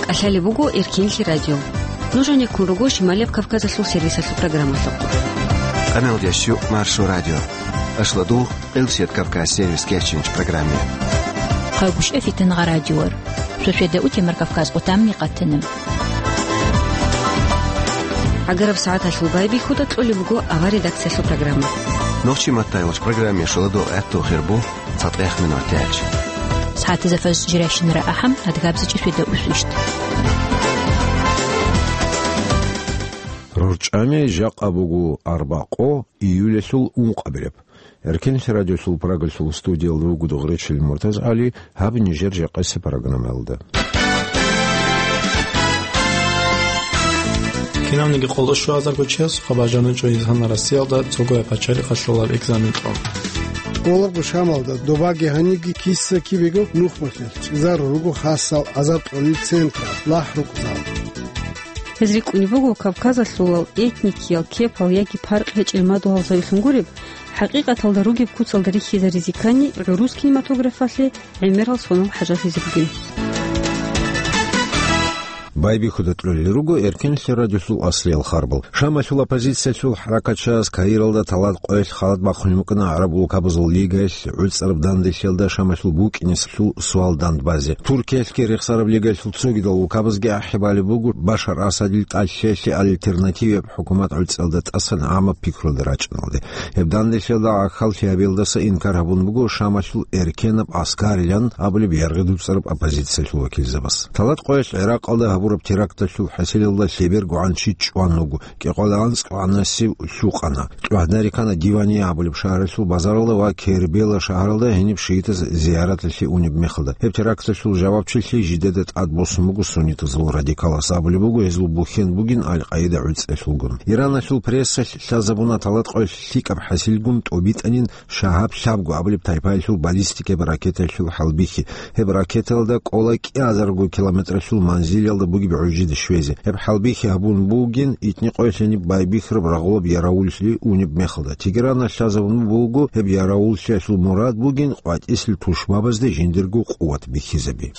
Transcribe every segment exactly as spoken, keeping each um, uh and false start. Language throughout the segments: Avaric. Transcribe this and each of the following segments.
КӀалъалеб буго Эркенлъи радио. Нуж гӀенеккун руго Шималияб Кавказалъул сервисалъул программалъухъ. Къамелдящу Маршо радио. Ашладугъ, Къилсият Кавказ сервис кечинч программе. Хъагушев Фитангъа радиор. Сосведа утемар Кавказ къутамни къатанаб. ГӀагараб сагӀаталъул байбихьуда кьолеб буго авар редакциялъул программа. Нохчи маттайвач программе шуладо гӀатту хирбу. ЦатӀех минут тяч. СагӀатазда фаз жиращинара ахӀам, адгабзичӀи светда усвищт. РорчӀами жакъа буго арбакъо, июлялъул ункъабилеб. Эркенлъи радиолъул Прагалъул студиялда вугода Гъречил МуртазгӀали, гьаб нижер жакъасеб программаялда. Кинавниги къоло щуазарго чиясухъа бажаничӀо инсанал Россиялда цогояб пачалихъалъулаб экзамен кьун. Къолорго Шамалда добаги гьаниги киса-кибего нухмалъе чӀезарун руго хасал азар кьолел централ, лахӀ рукъзал. Гьез рикӀкӀунеб буго Кавказалъулал этникиял кепал яги паркъ гьечӀел мадугьал завилъун гуреб, хӀакъикъаталда ругеб куцалда рихьизаризе ккани гӀурус кинематографалъе гӀемерал сонал хӀажалъизе бугин. Байбихьуда кьолел руго Эркенлъи радиолъул аслиял харбал. Шамалъул оппозициялъул хӀаракатчияс Каиралда талат къоялъ халат бахъулеб букӀана гӀараб улкабазул лигаялъ гӀуцӀараб данделъиялда Шамалъул букӀинеблъул суал дандбазе. Туркиялъги Рехсараб лигаялъул цогидал улкабазги ахӀи балеб буго Башар Асадил тӀалъиялъе альтернативияб хӀукумат гӀуцӀиялда тӀасан гӀамаб пикруялда рачӀиналде. Гьеб данделъиялда гӀахьаллъи гьабиялдаса инкар гьабун буго Шамалъул Эркенаб ГӀаскарилан абулеб яргъи дуцӀараб оппозициялъул вакилзабаз. Талат къоялъ ГӀиракъалда гьабураб теракталъул хӀасилалда лъебергогӀан чи чӀван вуго, кӀикъоялда анцӀ гӀанасив лъукъана. ТӀугӀадарикана Дивания абулеб шагьаралъул базаралда ва Кербела шагьаралда гьениб шиитаз зияраталъе унеб мехалда. Гьеб теракталъул жавабчилъи жидеда тӀад босун буго суннитазул радикалас, абулеб буго гьезул бухьен бугин Аль-Къаида гӀуцӀиялъулгун. Ираналъул прессалъ лъазабуна талат къоялъ лъикӀаб хӀасилгун тӀобитӀанин Шагьаб лъабго абулеб тайпаялъул баллистикаб ракетаялъул хӀалбихьи. Гьеб ракетаялда кӀола кӀиазарго километралъул манзилалда бугеб гӀужиде щвезе. Гьеб хӀалбихьи гьабун бугин итни къоялъ гьениб байбихьараб рагъулаб яравуллъи унеб мехалда. Тегерана лъазабун буго гьеб яравуллъиялъул мурад бугин къватӀисел тушбабазде жиндирго къуват бихьизаби.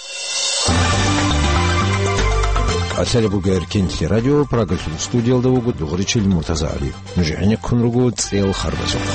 КӀалъалеб буго Эркенлъи радио, Прагалъул студиялда вуго Дугъричил МуртазагӀали. Нуж гӀенеккун руго цӀел харбазухъ.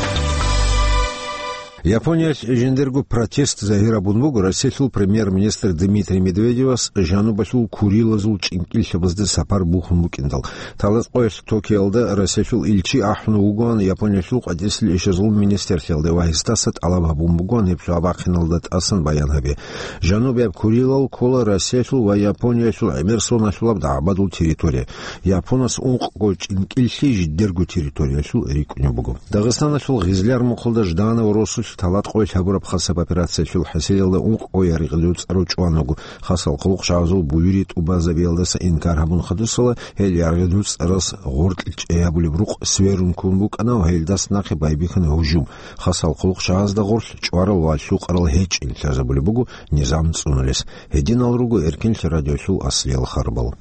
Япониялъ жиндирго протест загьир гьабун буго Россиялъул премьер-министр Дмитрий Медведевас жанубалъул Курилазул чӀинкӀиллъабазда сапар бухьун букӀиндал. Талат къоялъ Токиолда Россиялъул илчи ахӀун вугоан Япониялъул къватӀисел ишазул министрлъиялда ва гьесдаса тӀалаб гьабун бугоан гьеб лъугьа-бахъиналда тӀасан баян гьабе. Жанубияб Курилал ккола Россиялъул ва Япониялъул гӀемер соналъулаб дагӀбадул территория. Японас ункъго чӀинкӀиллъи жидерго территориялъул рикӀкӀунеб буго. Дагъистаналъул Гъизляр мухъалда Жданов росулъ талат къоялъ гьабураб хасаб операциялъул хӀасилалда ункъго яргъи дуцӀарав чӀван вуго. Хасал хъулухъчагӀазул буюри тӀубазабиялдаса инкар гьабун хадусала, гьел яргъи дуцӀарас гъоркь чӀей гьабулеб рукъ сверун ккун букӀана ва гьелдас нахъе байбихьана гьужум. Хасал хъулухъчагӀазда гъорлъ чӀварал ва лъукъарал гьечӀин лъазабулеб буго низам цӀунулес. Гьединал руго Эркенлъи радиолъул аслиял харбал.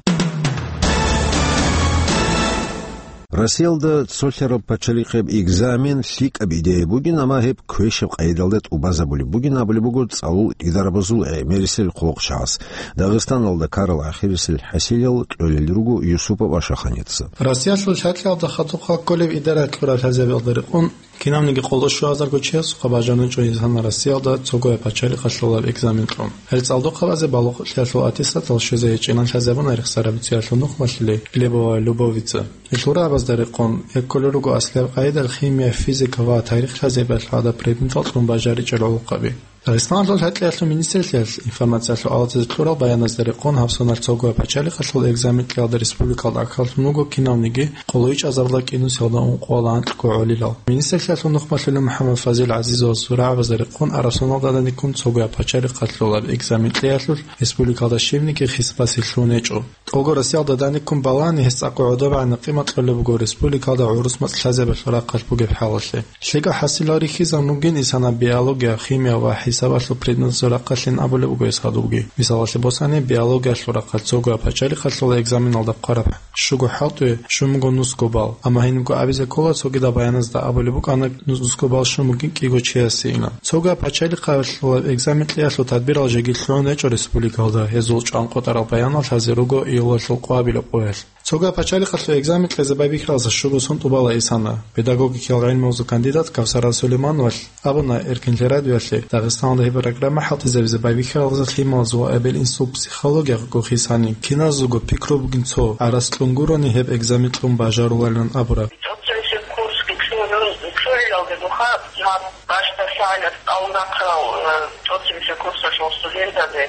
Россиялда цолъараб пачалихъеб экзамен лъикӀаб идея бугин, амма гьеб квешаб къайдалда тӀубазабулеб бугин абулеб буго цӀалул идарабазул гӀемерисел хъулухъчагӀаз. Дагъистаналда ккарал ахирисел хӀасилал кьолел руго Юсупов Ашаханица. Россиялъул лъакьалда хадуб кколеб идара кьураб лъазабиялда рекъон кинавниги къоло щуазарго чиясухъа бажаничӀо инсанал Россиялда цогояб пачалихъалъулаб экзамен кьун. Гьел цӀалдохъабазе балугълъиялъул аттестатал щвезе гьечӀилан лъазабуна Рехсараб цӀиялъул нухмалъулей Глебова Любовица. Гьелъул рагӀабазда рекъон, гьеб кколел руго аслияб къайдал химия, физика ва тарих лъазабиялъул гӀадаб предметал кьун бажаричӀел гӀолохъаби. Дагъистаналъул лъакьалъул министрлъиялъ информациялъул алатизе кьурал баяназда рекъон гьаб соналъ цогояб пачалихъалъул экзамен кьиялда республикалда ахӀаллъун вуго кинавниги къоло ичӀазарда кӀинусиялда ункъоялда анкьго гӀолилал. Министрлъиялъул нухмалъулев МухӀаммад Фазил ГӀазизовасул рагӀабазда рекъон араб соналда даниккун цогояб пачалихъалъулаб экзамен кьиялъул республикалда щибниги хисбасе лъугьун гьечӀо. ТӀолго Россиялда даниккун балани гьес цӀакъго гӀодобегӀанаб къимат кьолеб буго республикалда гӀурус мацӀ лъазабиялъул рахъалъ бугеб хӀалалъе. ЛъикӀаб хӀасилал рихьизабун бугин инсанаб биология, химия ва Гьисабалъул предметазул рахъалъин абулеб буго гьес гьадубги. Мисалалъе босани, биологиялъул рахъалъ цогояб пачалихъалъула экзаменалда хъвараб щуго хӀалтӀи, щун буго нусго балл. Амма гьенибго абизе ккола, цогидаб баяназда абулеб букӀана, нус-, нусго балл щун бугин кӀиго чиясейилан. Цогояб пачалихъалъула экзамен кьеялъул тадбирал жеги лъугӀун гьечӀо республикалда, гьезул чӀван къотӀарал баянал лъазе руго июлалъул къоабилаб къоялъ. Цогояб пачалихъалъул экзамен кьезе байбихьаралдаса щуго сон тӀубала исана. Педагогикиял гӀилмугьузул кандидат Кавсара Сулеймановалъ абуна Эркин лъарадиялъе, Дагъистаналда гьеб программа хӀалтӀизабизе байбихьаралдаса лъималазул ва эбел-инсул психологиялъул хисани, киназулго пикру бугин цо, гӀарац кьун гурони гьеб экзамен кьун бажаруларилан абураб. ТӀоцебесеб курс бицунеб, бицунеб жо бугоха, гьаб бащдаб шагьаралъ аварагал, э, тӀоцебесеб курсалъул студентазе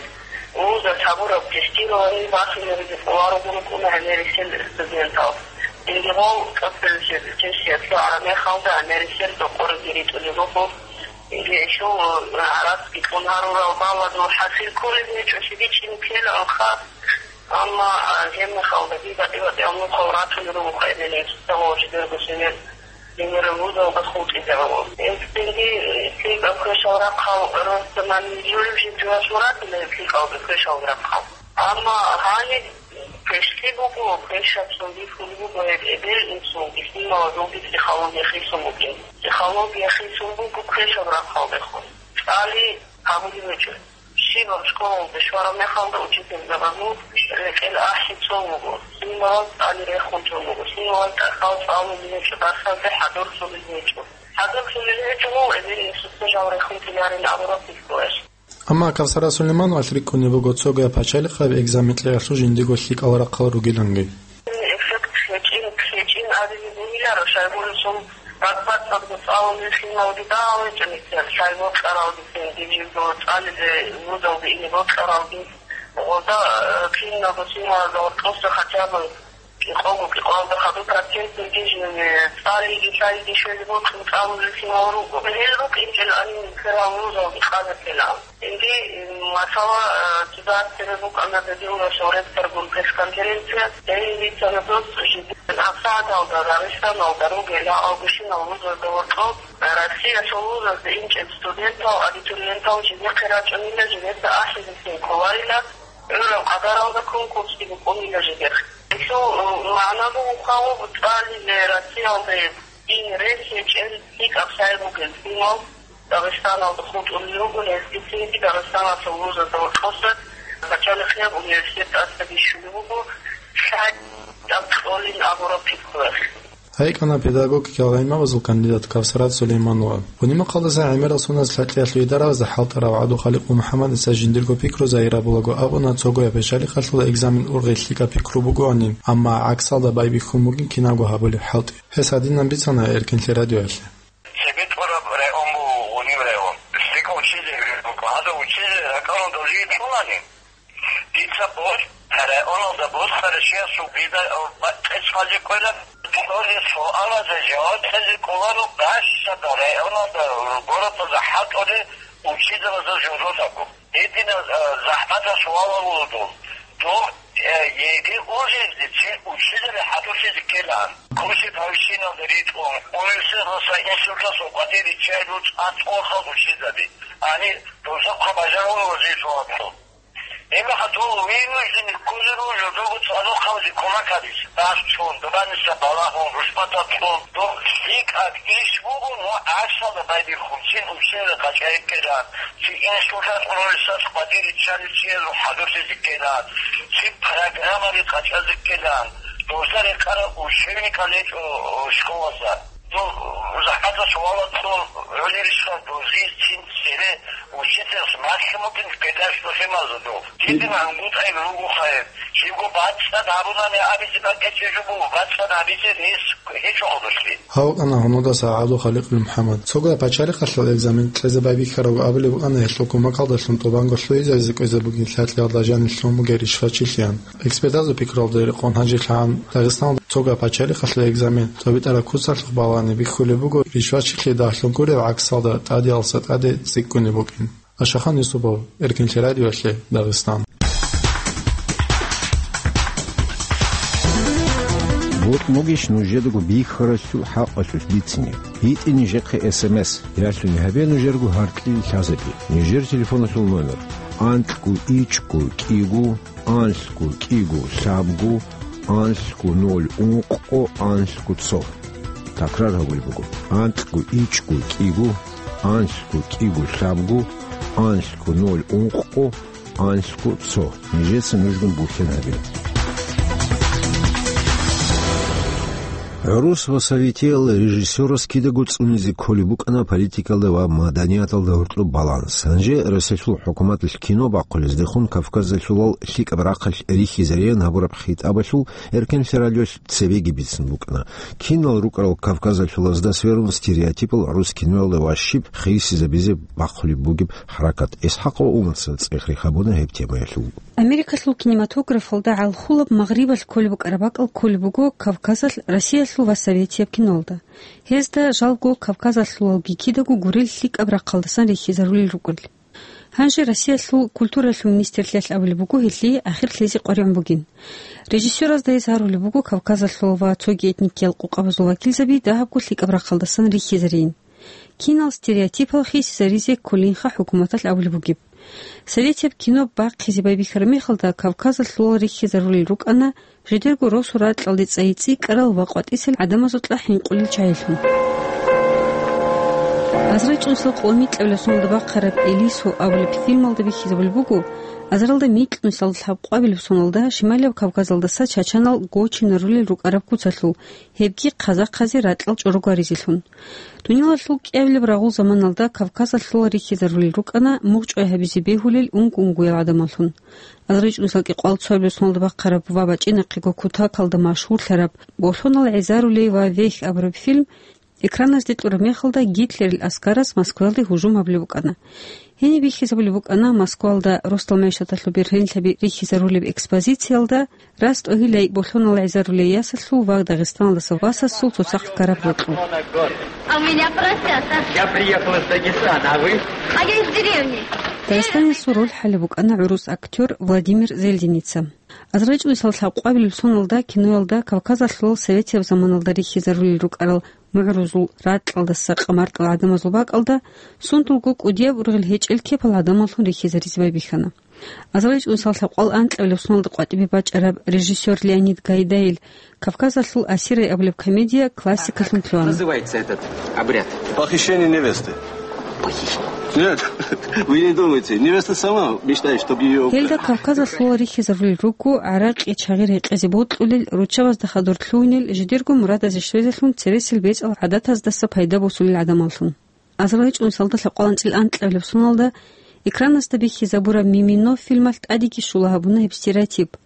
вузалъ гьабураб тестирование бахинабизе кӀоларого рукӀуна гьанирисел студентал. Цинги гъол тӀоцебесеб сессия лъугӀараб мехалда гьанирисел рокъоризе ритӀулеб буго. Цинги гьелъул, э, гӀарацги кьун гьарурал балладул хӀасил кколеб гьечӀо, щиб гьечӀин ккелаанха. Амма, а, гьеб мехалда дида тӀибатӀиял нухал ратулел руго къайдилеб, жидерго сенер. Гьенираб вузалда хутӀизарун. Гьелъ цинги, э, лъикӀаб квешал рахъал росдаман жураб жиб жугьалъул ратила гьеб лъикӀалда квешал рахъал. Амма гьаниб квешлъи буго, квешаб цо бихьулеб буго гьеб эбел-инсул, бихьиналазулги психология хисун бугин. Психология хисун буго квешаб рахъалдехун. ЦӀали гьабулеб гьечӀо. Щибаб школалде щвараб мехалда учительзабазул рекӀел ахӀи цо вуго, лъималаз цӀали рехун цо вуго, лъималаз тӀахьал цӀалулел гьечӀо, дарсазде хӀадурлъулел гьечӀо. ХӀадурлъулел гьечӀо, гьев эбел-инсуца жал рехун тиларин абураб пикруялъ. Амма Кавсара Сулеймановалъ рикӀкӀунеб буго цогояб пачалихъаб экзамен кьеялъул жиндиго лъикӀал рахъал ругиланги. Эффект гьечӀин, гьечӀин абизе бугиларо, щайгурелъул бакӀ-бакӀалда цӀалулел лъималги дагьал гьечӀо нилъер, лъай бокьаралги цинги жибго цӀализе вузалде ине бокьаралги. Гъозда, э, киналго лъималазда гьоркьоса хотя бы кӀикъого-кӀикъоялда хадуб процентниги жинеги цӀалиги лъайги щвезе бокьун цӀалулел лъимал руго. Гьел рукӀинчӀел гьанив нилъерал вузалги къадарккела. Цинги, м, масала, э, цода цебе букӀана Бедугьалъул ректоргун пресс-конференция. Гьенив бицана дос жидер гьабсагӀаталда Дагъистаналда ругел гьал гущинал вузазда гьоркьоб Россиялъул вузазда инчӀел студентал, абитуриентал жидехъе рачӀунила, жидеца ахӀизесин кколарила, гӀураб къадаралда конкурсги букӀунила жидехъе. Гьелъул, м, магӀна буго хъалуб цӀализе Россиялде ин рес гьечӀел лъикӀаб лъай бугел лъимал Дагъистаналда хутӀулел руго, гьезги цинги Дагъистаналъул вузазда гьоркьоса пачалихъияб университет тӀаса бищулеб буго, лъай тӀад кьолин абураб пикруялъ. ГьайкӀана педагогикал гӀилмабазул кандидат Кавсарат Сулейманова. Гьуни-махъалдаса гӀемерал соналъ лъалкӀиялъул идараялда хӀалтӀарав ГӀабдулхаликъ МухӀаммадица жиндирго пикру загьир гьабулаго абуна, цогояб пачалихъалъул экзамен ургъи лъикӀаб пикру бугоанин, амма гӀаксалда байбихьун бугин кинабго гьабулеб хӀалтӀи. Гьес гьадинан бицана Эркинлъи радиоялъе. Цебе тӀураб район буго Гъуниб район. ЛъикӀав учитель буго. Гьадав учитель ракӀалда жий лъунани, дица борщ районалда босарав чиясул дида къецӀалде ккола, цоги суалазе жаваб кьезе кӀоларо, гъащада районалда, городалда хӀалтӀулел учителазул жугьутӀаго. Гьединаб, а, захӀматаб суалал буго доб. Доб, э, ЕГЭ ургъизеги цин учитель хӀадурлъизе ккелаан. Курсияб гьавичиналда ритӀун, университеталъа институталъул къватӀире чӀезул цӀакъ цӀолъал учитель. Гьанир дозухъа бажарулел вазифа вацун. Гьебмехалъ дов вынужденный кколел руго доб цӀадахъ гьабизе кумек гьабизе. Дарс цун, дубаниса балагьун, рушбатал цун, доб лъикӀаб иш буго, но гӀаксалда байбихьун, цин учитель къачӀайиккелан, цин институталъ, университеталъ къватӀире чӀарав чиясул хӀадурлъизе ккелан, цин программаби къачӀазе ккелан, дозда рекъарал учебникал гьечӀо школазда. Дов захӀматаб суалал цун гӀолеб ришха, дозие цин цере учительас малъун букӀин педагогиялъул гӀилмазул дов. Гьедин гӀунгутӀаяб руго хайир. Жибго бацӀцӀад гьабунани абизе бакӀ гьечӀеб жо буго, бацӀцӀад гьабизе рес гьечӀо гьодошлъи. Гьав вукӀана гьунудаса ГӀабдулхаликъ МухӀаммад. Цогояб пачалихъалъул экзамен кьезе байбихьарав абулеб букӀана гьелъул кумекалдалъун тӀубанго лъугьизаризе кӀвезе бугин лъалкӀиялда жанир лъун бугеб ришвачилъиян. Экспертазул пикруялда рекъон гьанжеялъагӀан Дагъистаналда цогояб пачалихъалъул экзамен цо битӀараб куцалъухъ балагьани бихьулеб буго, ришвачилъи дагьлъун гуреб гӀаксалда тӀадеялъа тӀаде цӀикӀкӀунеб букӀин. Ашахан Юсупов, Эркинлъи радиоялъе, Дагъистан. БутӀ бугищ нужедаго бихьаралъул хӀакъалъулъ бицине? ГьитӀе нижехъе эс эм эс, ялъуни гьабе нужерго гьаркьил лъазаби. Нижер телефоналъул номер: анкьго ичӀго кӀиго, анлъго кӀиго лъабго, анлъго ноль ункъго, анлъго цо. Такрар гьабулеб буго: анкьго ичӀго кӀиго, анлъго кӀиго лъабго, анлъго ноль ункъго, анлъго цо. Нижеца нужгун бухьен гьабе. ГӀурус ва советиял режиссерас кидаго цӀунизе кколеб букӀана политикалда ва маданияталда гьоркьоб баланс. Гьанже Россиялъул хӀукуматалъ кино бахъулездехун Кавказалъулал лъикӀаб рахъалъ рихьизариян гьабураб хитӀабалъул эркенлъи радиолъ цебеги бицун букӀана. Кинал рукӀарал кавказалъулазда сверун стереотипал гӀурус киноялда ва щиб хисизабизе бахъулеб бугеб хӀаракат. ИсхӀакъ ва Умарца цӀех рихьабуна гьеб темаялъул. Америкалъул кинематографалда гӀалхулаб магърибалъ кколеб букӀараб бакӀал кколеб буго Кавказалъ Россиялъул ва советияб киноялда. Гьезда жалго кавказалъулалги кидаго гурел лъикӀаб рахъалдасан рихьизарулел рукӀел. Гьанже Россиялъул культуралъул министрлъиялъ абулеб буго гьелъие ахир лъезе къваригӀун бугин. Режиссеразда гьез гьарулеб буго Кавказалъул ва цоги этникиял къукъабазул вакилзаби дагьабго лъикӀаб рахъалдасан рихьизарийин. Кинал стереотипал хисизаризе кколинха хӀукуматалъ абулеб бугеб. Советияб кино бахъизе байбихьараб мехалда Кавказалъулал рихьизарулел рукӀана жидерго росу ракьалде цӀайи цӀикӀкӀарал ва къватӀисел гӀадамазул кьа хӀинкъулел чагӀилъун. Азарил чӀужуялъул микьабилеб соналда бахъараб «Элисо» абулеб фильмалда бихьизабулеб буго, азарилда микьнусиялда лъабкъоабилеб соналда Шималияб Кавказалдаса чачанал гочинарулел рукӀараб куцалъул, гьебги казахъазе ракьал чӀорогваризелъун. Дуниялалъул кӀиабилеб рагъул заманалда Кавказалъулал рихьизарулел рукӀана мугъчӀвай гьабизе бегьулел унго-унгоял гӀадамаллъун. Азарил чӀужуялъул кӀикъоялда цоабилеб соналда бахъараб ва бачӀинахъего кутакалда машгьурлъараб «Болъонал гӀезарулей ва вехь» абураб фильм экраназде кьураб мехалда Гитлерил аскараз Москваялде гьужум гьабулеб букӀана. Гьениб бихьизабулеб букӀана Москваялда росдал мегӀшаталъул бергьенлъаби рихьизарулеб экспозициялда рас тӀогьилай Болъонал гӀезарулей ясалъул ва Дагъистаналдаса васасул цоцахъ ккараб гьоркьоб. А у меня поросята. Я приехал из Дагестана, а вы? А я из деревни. Дагъистаналъул роль хӀалеб букӀана гӀурус актёр Владимир Зельденица. Азарил чӀужуялъул лъабкъоабилеб соналда киноялда Кавказалъулал советияб заманалда рихьизарулел рукӀарал мугӀрузул ракьалдаса къамартӀал гӀадамазул бакӀалда сундулго кӀудияб ургъел гьечӀел кепал гӀадамаллъун рихьизаризе байбихьана. Азарил чӀужуялъул лъабкъоялда анкьабилеб соналда къватӀибе бачӀараб режиссёр Леонид Гайдайил «Кавказалъул асирай» абулеб комедия классикалъун лъугьана. Называется этот обряд? Похищение невесты. Нет, вы не думайте. Невеста сама мечтает, чтобы её украли. Гьелда Кавказалъулал рихьизарулел руго гӀаракьи чагъи рекъезе бокьулел, руччабазда хадур лъугьунел, жидерго мурадазе щвезелъун цересел бецӀал гӀадатаздаса пайда босулел гӀадамаллъун. Азарил чӀужуялда лъабкъоялда анцӀил анкьабилеб соналда экраназда бихьизабураб «Мимино» фильмалъ тӀадеги щула гьабуна гьеб стереотип.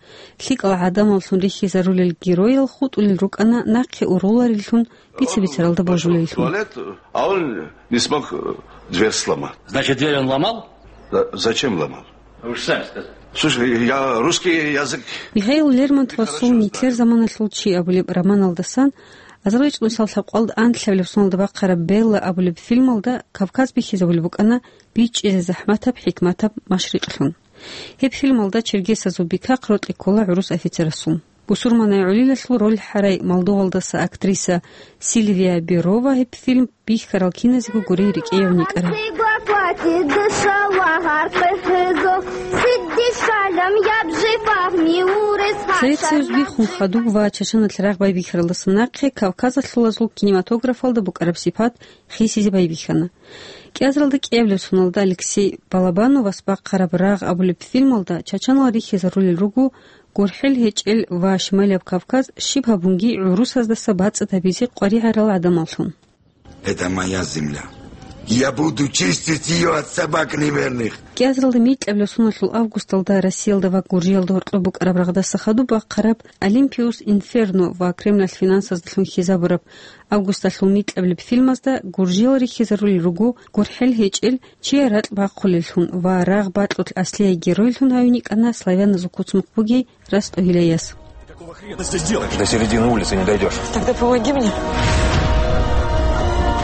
ЛъикӀал гӀадамаллъун рихьизарулел героял хутӀулел рукӀана нахъе ургъулареллъун, бица-бицаралда божулеллъун. Туалет, а он не смог, э, дверь сломать. Значит, дверь он ломал? Да, зачем ломал? Вы же сами сказали. Слушай, я русский язык. Михаил Лермонтовасул «Нилъер заманалъул чи» абулеб романалдасан Азарил чӀужуялъул лъабкъоялда анкьабилеб соналда бахъараб «Белла» абулеб фильмалда Кавказ бихьизабулеб букӀана бичӀчӀизе захӀматаб, хӀикматаб Машрикълъун. Гьеб фильмалда чергесазул бикахъ рокьи ккола гӀурус офицерасул. Бусурманай гӀолилалъул роль хӀарай Молдовалдаса актриса Сильвия Берова гьеб фильм бихьарал киназего гурей рикӀкӀине йикӀараб. Совет Союз биххун хадуб ва Чачаналъ рагъ байбихьаралдаса нахъе Кавказалъулазул кинематографалда букӀараб сипат хисизе байбихьана. КӀиазаралда кӀиабилеб соналда Алексей Балабановас бахъараб «Рагъ» абулеб фильмалда чачанал рихьизарулел руго гурхӀел гьечӀел ва Шималияб Кавказ щиб гьабунги гӀурусаздаса бацӀцӀад гьабизе къваригӀарал гӀадамаллъун. Это моя земля. Я буду чистить её от собак неверных. КӀиазаралда микьабилеб соналъул августалда Россиялда ва Гуржиялда гьоркьоб букӀараб рагъдаса хадуб бахъараб «Олимпиус Инферно» ва Кремлалъ финансаздалъун хьизабураб августалъул микьабилеб фильмазда гуржиял рихьизарулел руго гурхӀел гьечӀел чияр ракь бахъулеллъун ва рагъ бакьулъ аслияй геройлъун гьавин йикӀана славяназул куцмукъ бугей рас тӀогьилай яс. Какого хрена ты здесь делаешь? До середины улицы не дойдёшь. Тогда помоги мне.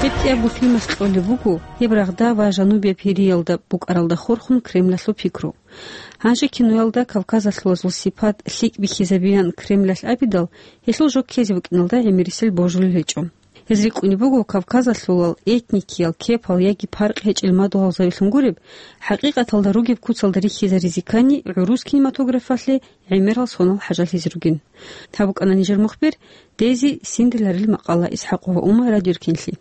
Гьеб кӀиябго фильмалъ кьолеб буго гьеб рагъда ва жанубияб Гьириялда букӀаралда хурхун Кремлалъул пикру. Гьанже киноялда кавказалъулазул сипат лъикӀ бихьизабеян Кремлалъ абидал, гьелъул жо ккезе букӀиналда гӀемерисел божулел гьечӀо. Гьез рикӀкӀунеб буго кавказалъулал этникиял, кепал яги паркъ гьечӀел мадугьалзабилъун гуреб, хӀакъикъаталда ругеб куцалда рихьизаризе ккани гӀурус кинематографалъе гӀемерал сонал хӀажалъизе ругин. Гьаб букӀана нижер мухбир, Дези синдиларил макъала. ИсхӀакъ ва Умар, Радио Эркенлъи.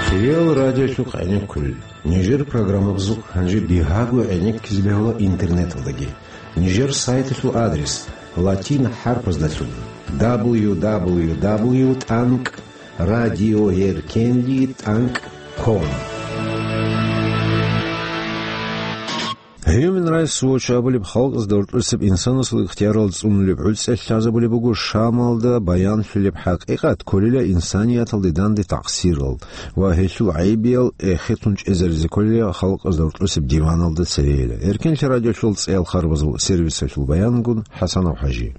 Кирил радиолъухъ гӀенеккулел. Нижер программабазухъ гьанже бигьаго гӀенеккизе бегьула интернеталдаги. Нижер сайталъул адрес латин хӀарпаздалъун: дабл ю дабл ю дабл ю тӀанкӀ радиоеркенлъи тӀанкӀ ком. Human Rights Watch абулеб халкъазда гьоркьосеб инсанасул ихтиярал цӀунулеб гӀуцӀиялъ лъазабулеб буго Шамалда баянлъулеб хӀакъикъат кколила инсанияталде данде такъсирал ва гьелъул гӀайибиял эхетун чӀезаризе кколила халкъазда гьоркьосеб диваналда церейила. Эркенлъи радиолъул цӀеял харбазул сервисалъул баянгун ХӀасанов ХӀажи.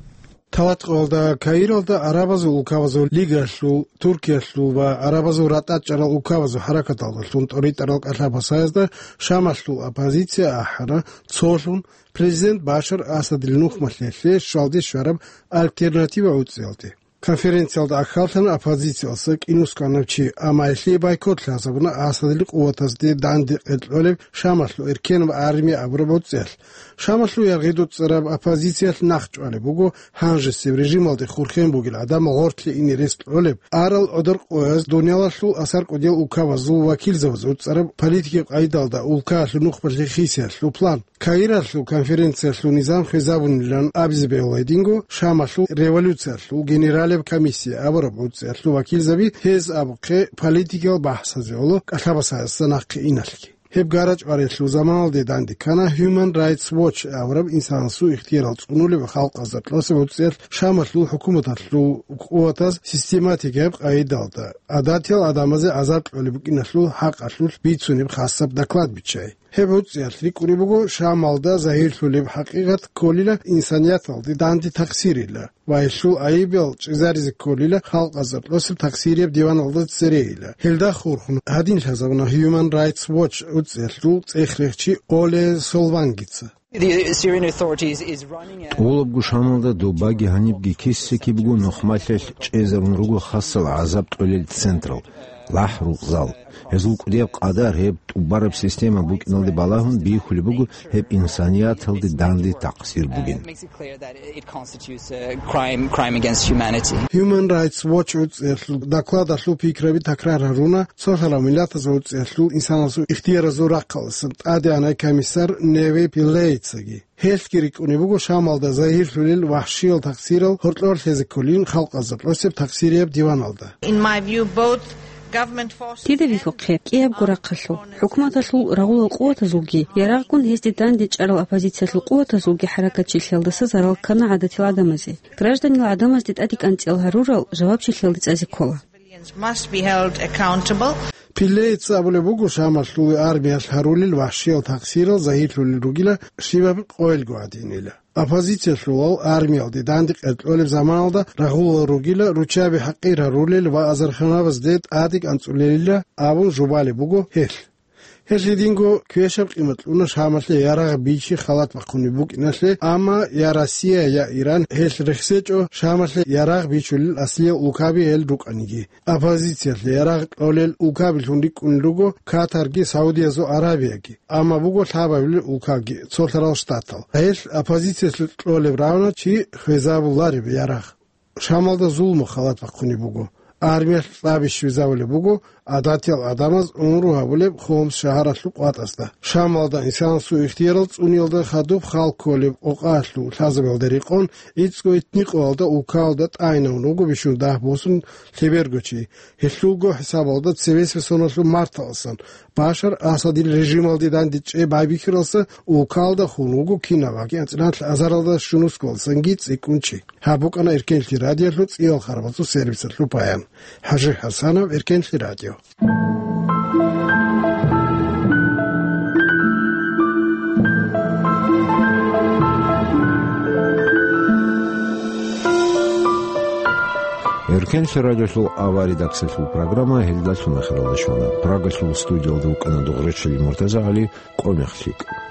Талаткъоялда Каиралда Арабазул улкабазул лигалъул, Туркиялъул ва Арабазул ратӀа чӀарал улкабазул хӀаракаталдалъун тӀоритӀарал кӀалъа-басаязда Шамалъул оппозиция ахӀана, цолъун президент Башар Асадил нухмалъ гьелъе щвалде щвараб альтернатива гӀуцӀиялде. Конференциялда ахьаллъана оппозициялъа кӀинусгӀанав чи, амма гьелъие бойкот лъазабуна Асадил къуватазде данде кьеркьолеб Шамалъул эркен ва армия абураб гӀуцӀиялъ. Шамалъул яргъидуцӀцӀараб оппозициялъ нахъчӀвалеб буго гьанжесеб режималде хурхен бугел гӀадамал гъорлъе ине рес кьолеб, арал гӀодор къояз дуниялалъул асар кӀудиял улкабазул вакилзабаз гӀуцӀараб политикияб къайдалда улкаялъул нухмалъе хисиялъул план. Каиралъул конференциялъул низам хвезабунилан абизе бегьула гьединго Шамалъул революциялъул генералияб комиссия абураб гӀуцӀиялъул вакилзаби, гьез абухъе политикиял бахӀсазе гӀоло кӀалъа-басаязда нахъе иналъги. Гьеб гара-чӀвариялъул заманалде данде ккана Human Rights Watch абураб инсанасул ихтиярал цӀунулеб халкъазда кьосеб гӀуцӀиялъ Шамалъул хӀукуматалъул къуватаз систематикияб къайдалда гӀадатиял гӀадамазе гӀазаб кьолеб букӀиналъул хӀакъалъулъ бицунеб хасаб доклад биччай. Гьеб гӀуцӀиялъ рикӀкӀунеб буго Шамалда загьирлъулеб хӀакъикъат кколила инсанияталде данде такъсирила ва гьелъул гӀайибал чӀезаризе кколила халкъазда кьосеб такъсирияб диваналда церейила. Гьелда хурхун гьадин лъазабуна Human Rights Watch гӀуцӀиялъул цӀех-рехчи Оле Солвангица. The Syrian Authorities is running a ТӀолабго Шамалда добаги гьанибги киса-кибего нухмалъалъ чӀезарун руго хасал гӀазаб кьолел централ, лахӀрукъзал. Гьезул кӀудияб къадар гьеб тӀубараб система букӀиналде балагьун бихьулеб буго гьеб инсанияталде данде такъсир бугин. Makes it clear that it constitutes a crime, crime against humanity. Human Rights Watch гӀуцӀиялъул докладалъул пикраби такрар гьаруна цолъарал миллатазул гӀуцӀиялъул инсанасул ихтияразул рахъалдасан тӀадегӀанай комиссар Неве Пиллейцаги. Гьелъги рикӀкӀунеб буго Шамалда загьирлъулел вахӀшиял такъсирал гьоркьор лъезе кколин халкъазда кьосеб такъсирияб диваналда. In my view, both government forces Дида вихьухъе, кӀиябго рахъалъул, хӀукуматалъул рагъулал къуватазулги, ярагъгун гьезде данде чӀарал оппозициялъул къуватазулги хӀаракатчилъиялдаса зарал ккана гӀадатил гӀадамазе. Гражданил гӀадамазде тӀаде кӀанцӀиял гьарурал жавабчилъиялде цӀазе ккола. Civilians must be held accountable. Пиллейца абулеб буго, Шамалъул армиялъ гьарулел вахӀшиял такъсирал загьирлъулел ругила щибаб къоялго гӀадинила. Оппозициялъулал армиялде данде кьеркьолеб заманалда рагъулал ругила руччаби хӀакъир гьарулел ва азарханабазде тӀаде кӀанцӀулелила абун жубалеб буго гьелъ. Гьелъ гьединго квешаб къимат кьуна Шамалъе ярагъ бичи халат бахъунеб букӀиналъе, амма я Россия, я Иран гьелъ рехсечӀо Шамалъе ярагъ бичулел аслиял улкаби гьел рукӀаниги. Оппозициялъе ярагъ кьолел улкабилъун рикӀкӀунел руго Катарги Саудиязул Аравияги, амма буго лъабабилел улкаги, цолъарал штатал. Гьелъ оппозициялъе кьолеб равна чи хвезабулареб ярагъ. Шамалда зулму халат бахъунеб буго. Армиялъ кьаби щвезабулеб буго гӀадатиял гӀадамаз унру гьабулеб Хомс шагьаралъул къватӀасда. Шамалда инсанасул ихтиярал цӀуниялда хадуб хал кколеб къокъаялъул лъазабиялда рекъон, гӀицӀго итни къоялда улкаялда тӀайнавун вуго бищун дагь босун лъеберго чи. Гьелъулго хӀисабалда цевесеб соналъул марталасан, Башар Асадил режималде дандечӀеб байбихьаралса улкалда хун вуго кинаб анцӀила азаралда щунусгоялсанги цӀикӀкӀун чи. Гьаб букӀана Эркенлъи радиолъул цӀиял харбазул сервисалъул баян. ХӀажи ХӀасанов, Эркенлъи радио. Кенлъи радиолъул авария даксалъул программа гьелдалъун ахиралда щвана. Прагалъул студиялда вукӀана Дугъречили Муртазагьали, къо мехлъикӀ.